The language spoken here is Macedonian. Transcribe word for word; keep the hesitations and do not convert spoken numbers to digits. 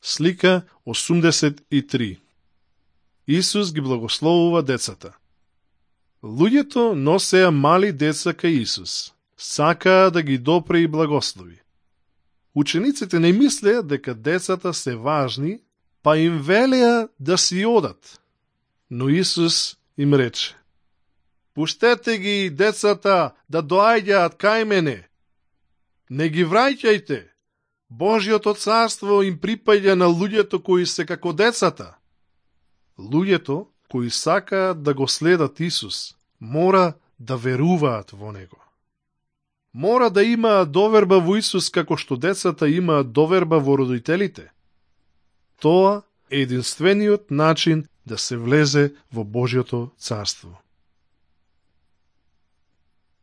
Слика осумдесет и три. Исус ги благословува децата. Луѓето носеа мали деца кај Исус. Сакаа да ги допре и благослови. Учениците не мислеа дека децата се важни, па им велеа да си одат. Но Исус им рече: пуштете ги децата да доаѓаат кај мене. Не ги враќајте. Божјото царство им припаѓа на луѓето кои се како децата. Луѓето кои сакаат да го следат Исус, мора да веруваат во Него. Мора да имаат доверба во Исус како што децата имаат доверба во родителите. Тоа е единствениот начин да се влезе во Божјото царство.